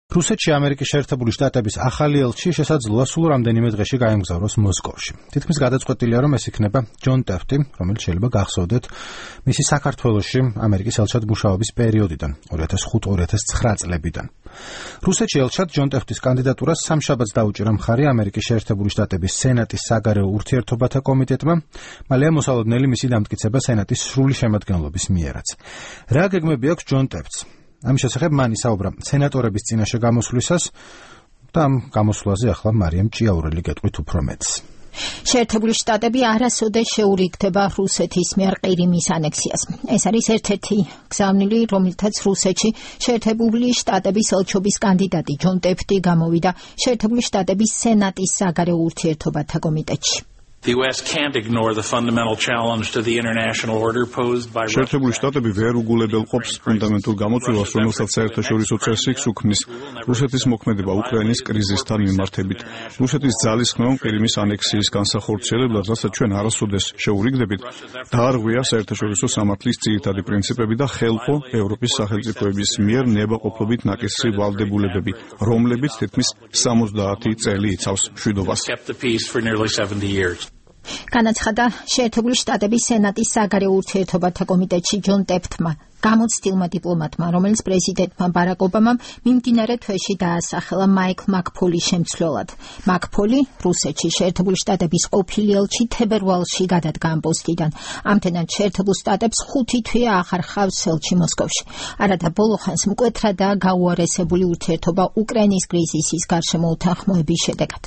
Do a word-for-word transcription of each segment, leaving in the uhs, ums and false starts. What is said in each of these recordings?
რუსეთში ამერიკის შეერთებული შტატების ახალი ელჩი შესაძლოა სულ რამდენიმე დღეში გაემგზავროს მოსკოვში. თითქმის გადაწყვეტილია, რომ ეს იქნება ჯონ ტეფტი, რომელიც შეიძლება გახსოვდეთ მისი საქართველოში ამერიკის ელჩად მუშაობის პერიოდიდან, ორი ათას ხუთი ორი ათას ცხრა წლებიდან. რუსეთში ელჩად ჯონ ტეფტის კანდიდატურას სამშაბათს დაუჭირა მხარი ამერიკის შეერთებული შტატების სენატის საგარეო ურთიერთობათა კომიტეტმა, მალე მოსალოდნელი მისი დამტკიცება სენატის სრული შემადგენლობის მიერაც. რა გეგმები აქვს ჯონ ტეფტს? ამის შესახებ მან ისაუბრა სენატორების წინაშე გამოსვლისას და ამ გამოსვლაზე ახლა მარიამ ჭიაურელი გეტყვით უფრო მეტს. შეერთებული შტატები არასოდეს შეურიგდება რუსეთის მიერ ყირიმის ანექსიას. ეს არის ერთ-ერთი გზავნილი, რომელთაც რუსეთში შეერთებული შტატების ელჩობის კანდიდატი ჯონ ტეფტი გამოვიდა შეერთებული შტატების სენატის საგარეო ურთიერთობათა კომიტეტში. The U S can't ignore the fundamental challenge to the international order posed by შეერთებული შტატები ვერ უგულებელ ყოფს ფუნდამენტურ გამოწვევას, რომელსაც საერთაშორისო წესი სუქმნის რუსეთის მოქმედება უკრაინის კრიზისთან მიმართებით. რუსეთის ძალისხმევამ ყირიმის ანექსიის განსახორციელებლად, რასაც ჩვენ არასოდეს შეურიგდებით, დაარღვია საერთაშორისო სამართლის ძირითადი პრინციპები და ხელყო ევროპის სახელმწიფოების მიერ ნებაყოფლობით ნაკისრი ვალდებულებები, რომლებიც თითქმის სამოცდაათი წელი იცავს მშვიდობას. განაცხადა შეერთებული შტატების სენატის საგარეო ურთიერთობათა კომიტეტში ჯონ ტეფტმა, გამოცდილმა დიპლომატმა, რომელიც პრეზიდენტმა ბარაკ ობამამ მიმდინარე თვეში დაასახელა მაიკლ მაკფოლის შემცვლელად. მაკფოლი რუსეთში შეერთებული შტატების ყოფილი ელჩი თებერვალში გადადგა ამ პოსტიდან. ამდენად შეერთებულ შტატებს ხუთი თვე აღარ ჰყავს ელჩი მოსკოვში. არადა ბოლოხანს მკვეთრადაა გაუარესებული ურთიერთობა უკრაინის კრიზისის გარშემო უთანხმოების შედეგად.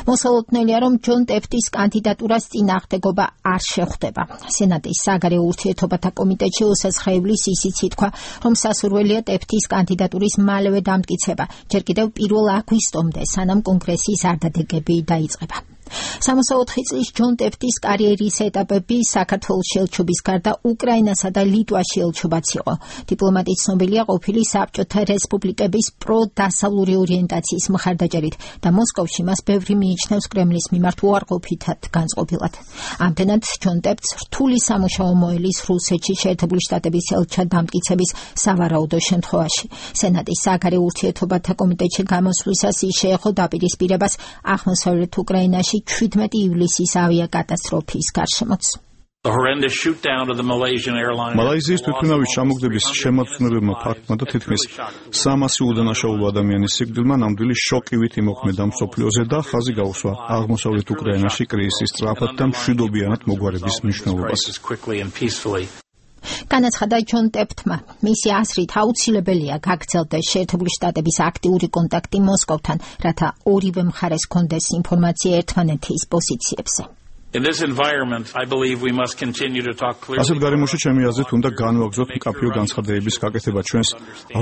მოსალოდნელია, რომ ჯონ ტეფტის კანდიდატურას წინააღმდეგობა არ შეხვდება. სენატის საგარეო ურთიერთობათა კომიტეტში ოსასხაევლის ისიც ითქვა, რომ სასურველია ტეფტის კანდიდატურის მალევე დამტკიცება, ჯერ კიდევ პირველ აგვისტომდე, სანამ კონგრესის არდადეგები დაიწყება. სამოცდაოთხი წლის ჯონ ტეფტის კარიერის ეტაპები საქართველოს ელჩობის გარდა უკრაინასა და ლიტვაში ელჩობაც იყო. დიპლომატი ცნობილია ყოფილი საბჭოთა რესპუბლიკების პრო-დასავლური ორიენტაციის მხარდაჭერით და მოსკოვში მას ბევრი მიიჩნევს კრემლის მიმართ უარყოფითად განწყობილად. ამდენად ჯონ ტეფტს რთული სამუშაო მოელის რუსეთში შეერთებული შტატების ელჩად დამტკიცების სავარაუდო შემთხვევაში. სენატის საგარეო ურთიერთობათა კომიტეტში გამოსვლისას ის შეეხო დაპირისპირებას აღმოსავლეთ უკრაინაში შვიდმეტი ივლისის ავიაკატასტროფის გარშემოც. მალაიზიის თვითმფრინავის ჩამოგდების შემაძღვნებელმა ფაქტმა და თითქმის სამასი უდანაშაულო ადამიანის სიკვდილმა ნამდვილი შოკივით იმოქმედა მსოფლიოზე და ხაზი გაუსვა აღმოსავლეთ უკრაინაში კრიზისის სწრაფად და მშვიდობიანად მოგვარების მნიშვნელობას. განაცხადა ჯონ ტეფტმა, მისი აზრით აუცილებელია გაგრძელდეს შეერთებული შტატების აქტიური კონტაქტი მოსკოვთან, რათა ორივე მხარეს ჰქონდეს ინფორმაცია ერთმანეთის პოზიციებზე. ასეთ გარემოში ჩემი აზრით უნდა განვაგრძოთ მკაფიო განცხადებების გაკეთება ჩვენს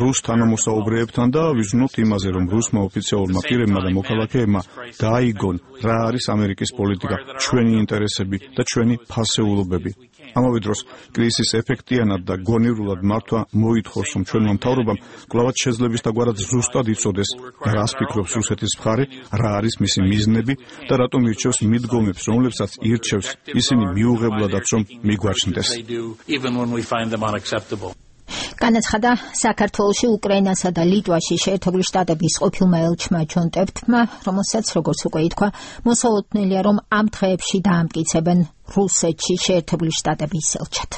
რუს თანამოსაუბრეებთან და ვიზრუნოთ იმაზე, რომ რუსმა ოფიციალურმა პირებმა და მოქალაქეებმა დააიგონ რა არის ამერიკის პოლიტიკა, ჩვენი ინტერესები და ჩვენი ფასეულობები. ამავე დროს კრიზისის ეფექტიანად და გონივრულად მართვა მოითხოვს, რომ ჩვენმა მთავრობამ კვლავად შეძლებისდაგვარად ზუსტად იცოდეს, რას ფიქრობს რუსეთის მხარე, რა არის მისი მიზნები და რატომ ირჩევს მიდგომებს, რომლებსაც ირჩევს, ისინი მიუღებლადაც რომ მიგვაჩნდეს. განაცხადა საქართველოში, უკრაინასა და ლიტვაში შეერთებული შტატების ყოფილმა ელჩმა ჯონ ტეფტმა, რომელსაც როგორც უკვე ითქვა, მოსალოდნელია, რომ ამ დღეებში დაამტკიცებენ რუსეთში შეერთებული შტატების ელჩად.